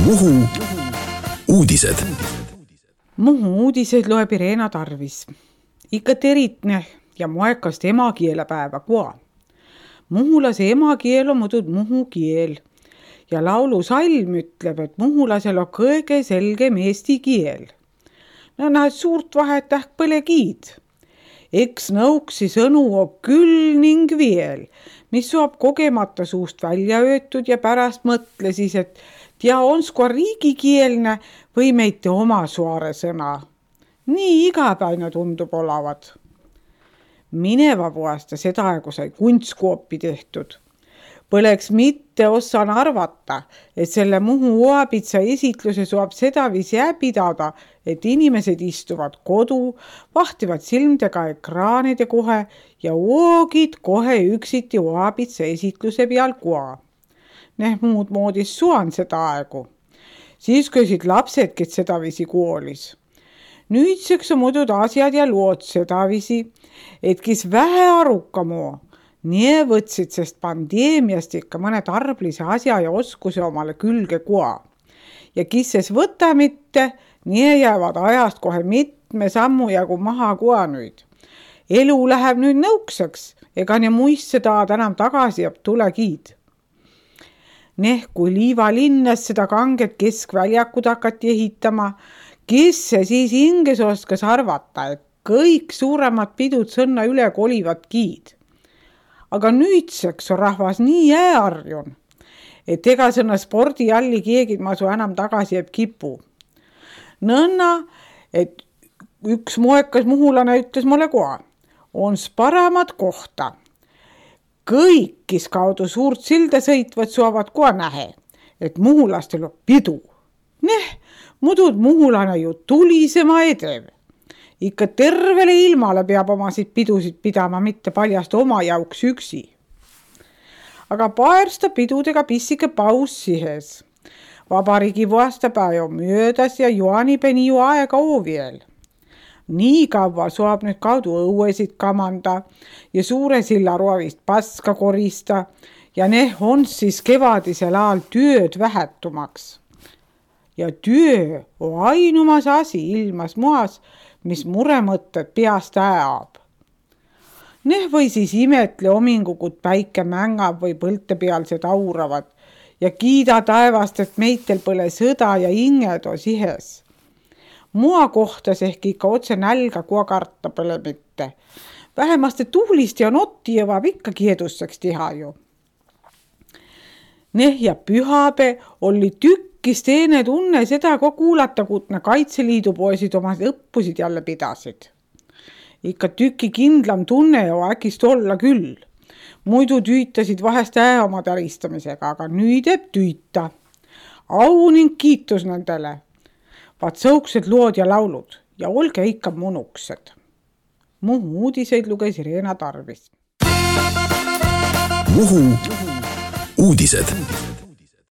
Muhu uudised. Muhu uudiseid loeb Irena Tarvis. Ikka teritne ja moekast emakielepäeva kua. Muhulase emakiel on muidu muhu kiel. Ja laulu salm ütleb, et muhulasel on kõige selgem eesti kiel. No näed suurt vahet ähk põle kiid. Eks nõuksi sõnu on küll ning veel, mis suab kogemata suust välja öötud ja pärast mõtle siis, et tea onskua riigikielne või meite oma suare sõna. Nii igapäine tundub olevat. Mineva vuosta seda aegu sai kunstkoopi tehtud. Põleks mitte ossan arvata, et selle Muhu oapitsa esitluse suab sedaviisi pidada, et inimesed istuvad kodu, vahtivad silmdega ekraanide kohe ja oogid kohe üksiti oapitsa esitluse peal kua. Muud moodis suan seda aegu. Siis köisid lapsed, kes sedaviisi koolis. Nüüdseks on muudud asjad ja lood sedaviisi, et kes vähe arukamu, nii võtsid, sest pandeemiast ikka mõne tarblise asja ja oskuse omale külge kua. Ja kisses võta mitte, nii jäävad ajast kohe mitme sammu jagu maha kua nüüd. Elu läheb nüüd nõukseks, ega ne muist seda enam tagasi ja tule kiid. Kui Liiva linnas seda kanget keskväljakut hakati ehitama, kes see siis hinges oskas arvata, et kõik suuremad pidud sõnna üle kolivad kiid. Aga nüüdseks on rahvas nii arjun, et ega sõna spordialli keegid ma su enam tagasi jääb kipu. Nõnna, et üks moekas muhulane ütles mulle koha, on paramat kohta. Kõik, kes kaudu suurt silda sõitvad, suavad koha nähe, et muhulastel on pidu. Mudud muhulane ju tulisema edev. Ikka tervele ilmale peab omasid pidusid pidama, mitte paljast oma jauks üksi. Aga paersta pidudega pissike paus sihes. Vabariigi vuostapäev on möödas ja juanipeni ju aega ooviel. Nii kaua suab nüüd kaudu õuesid kamanda ja suure silla roovist paska korista ja on siis kevadisel ajal tööd vähetumaks. Ja töö on ainumas asi ilmas moas, mis muremõtted peast ajab. Või siis imetle omingukut päike mängab või põlte pealsed auravad ja kiida taevast, et meitel põle sõda ja inged on sihes. Mua kohtas ehk ikka otse nälga kua karta põle mitte. Vähemaste tuulist ja notti jõvab ikka kiedusseks teha ju. Ja pühape oli tükkis teene tunne seda kuulata, kutne Kaitseliidu poisid oma õppusid jälle pidasid. Ikka tüki kindlam tunne jo äkist olla küll. Muidu tüütasid vahest oma täristamisega, aga nüüd tüüta. Au ning kiitus nendele. Vaat sõuksed lood ja laulud ja olge ikka munuksed. Muhu uudiseid luges Irena Tarvis. Muhu uudised.